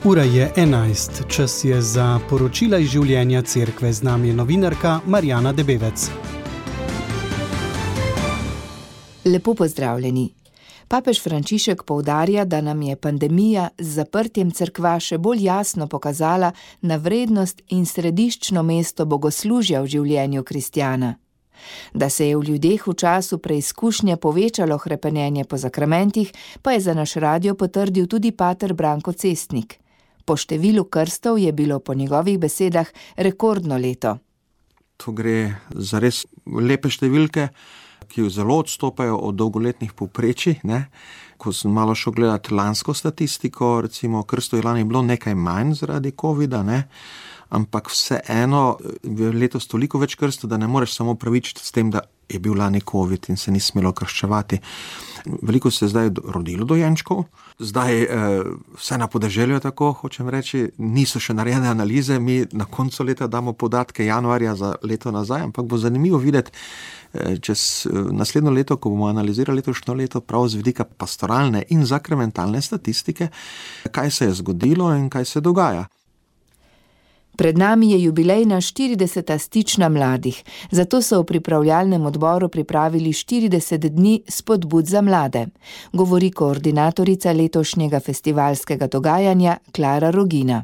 Ura je 11, čas je za poročila iz življenja cerkve. Z nami je novinarka Marjana Debevec. Lepo pozdravljeni. Papež Frančišek poudarja, da nam je pandemija z zaprtjem cerkva še bolj jasno pokazala na vrednost in središčno mesto bogoslužja v življenju kristjana. Da se je v ljudeh v času preizkušnje povečalo hrepenenje po zakramentih, pa je za naš radio potrdil tudi pater Branko Cestnik. Po številu krstov je bilo po njegovih besedah rekordno leto. To gre za res lepe številke, ki zelo odstopajo od dolgoletnih povprečij. Ko sem malo šel gledati lansko statistiko, recimo krstov je lani bilo nekaj manj zaradi covida, ampak vseeno je letos toliko več krstov, da ne moreš samo pravičiti s tem, da je bil lani covid in se ni smelo krščevati. Veliko se je zdaj rodilo dojenčkov, zdaj vse na podeželju tako, hočem reči, niso še narejene analize, mi na koncu leta damo podatke januarja za leto nazaj, ampak bo zanimivo videti čez naslednjo leto, ko bomo analizirali letošnjo leto, prav z vidika pastoralne in zakramentalne statistike, kaj se je zgodilo in kaj se dogaja. Pred nami je jubilejna 40. stična mladih, zato so v pripravljalnem odboru pripravili 40 dni spodbud za mlade, govori koordinatorica letošnjega festivalskega dogajanja Klara Rogina.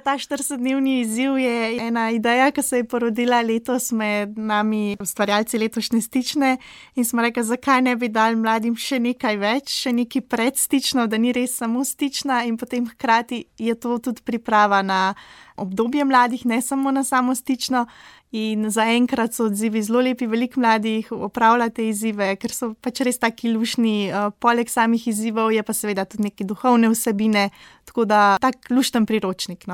Ta 40-dnevni izziv je ena ideja, ki se je porodila letos med nami ustvarjalci letošnje stične in smo rekli, zakaj ne bi dali mladim še nekaj več, še nekaj predstično, da ni res samo stična in potem hkrati je to tudi priprava na obdobje mladih, ne samo na samo stično. In zaenkrat so odzivi zelo lepi, veliko mladih opravlja te izzive, ker so pač res taki luštni. Poleg samih izzivov je pa seveda tudi neke duhovne vsebine, tako da tak lušten priročnik.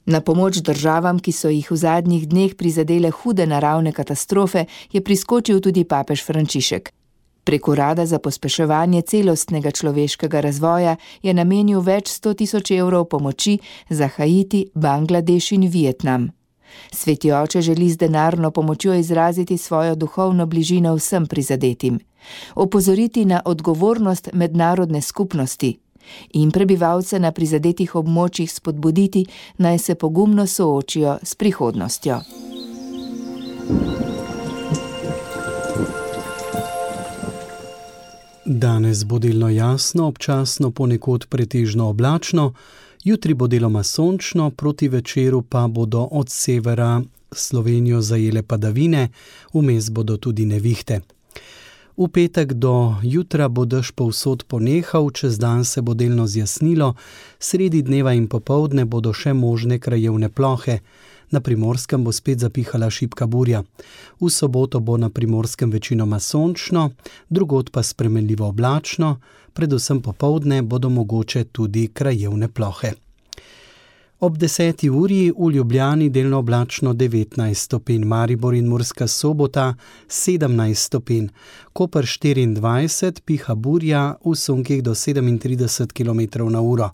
Na pomoč državam, ki so jih v zadnjih dneh prizadele hude naravne katastrofe, je priskočil tudi papež Frančišek. Prek Urada za pospeševanje celostnega človeškega razvoja je namenil več 100 000 evrov pomoči za Haiti, Bangladeš in Vietnam. Sveti oče želi z denarno pomočjo izraziti svojo duhovno bližino vsem prizadetim, opozoriti na odgovornost mednarodne skupnosti in prebivalce na prizadetih območjih spodbuditi, naj se pogumno soočijo s prihodnostjo. Danes bo delno jasno, občasno ponekod pretežno oblačno, jutri bo deloma sončno, proti večeru pa bodo od severa Slovenijo zajele padavine, vmes bodo tudi nevihte. V petek do jutra bo dež povsod ponehal, čez dan se bo delno zjasnilo, sredi dneva in popoldne bodo še možne krajevne plohe. Na Primorskem bo spet zapihala šibka burja. V soboto bo na Primorskem večinoma sončno, drugod pa spremenljivo oblačno, predvsem popoldne bodo mogoče tudi krajevne plohe. Ob 10. uri v Ljubljani delno oblačno 19 stopinj, Maribor in Murska Sobota 17 stopinj, Koper 24, piha burja v sunkih do 37 km/h.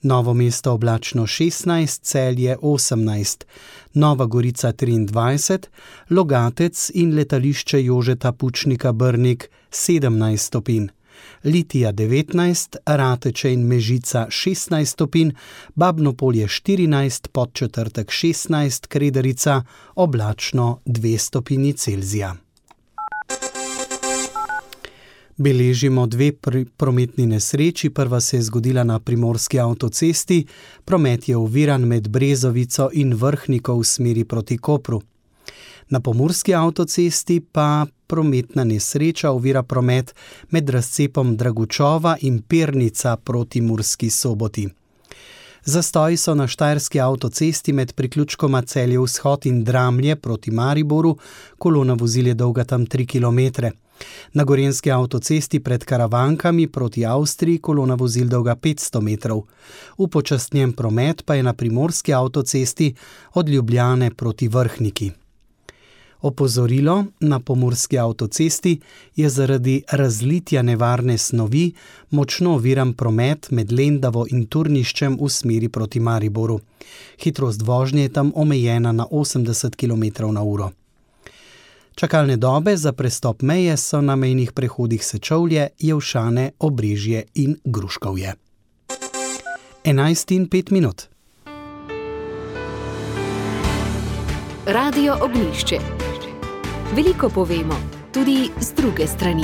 Novo mesto oblačno 16, Celje 18, Nova Gorica 23, Logatec in letališče Jožeta Pučnika Brnik 17 stopinj, Litija 19, Rateče in Mežica 16 stopinj, Babno Polje 14, Podčetrtek 16, Krederica oblačno 2 stopinji Celzija. Beležimo 2 prometni nesreči, prva se je zgodila na primorski avtocesti, promet je oviran med Brezovico in Vrhniko v smeri proti Kopru. Na pomurski avtocesti pa prometna nesreča ovira promet med razcepom Dragučova in Pernica proti Murski Soboti. Zastoji so na štajerski avtocesti med priključkoma Celje vzhod in Dramlje proti Mariboru, kolona vozil je dolga tam 3 km. Na gorenjski avtocesti pred Karavankami proti Avstriji kolona vozil dolga 500 metrov. Upočasnjen promet pa je na primorski avtocesti od Ljubljane proti Vrhniki. Opozorilo, na pomurski avtocesti je zaradi razlitja nevarne snovi močno oviran promet med Lendavo in Turniščem v smeri proti Mariboru. Hitrost vožnje je tam omejena na 80 km/h. Čakalne dobe za prestop meje so na mejnih prehodih Sečovlje, Jelšane, Obrežje in Gruškovje. 11:05. Radio Ognjišče. Veliko povemo, tudi z druge strani.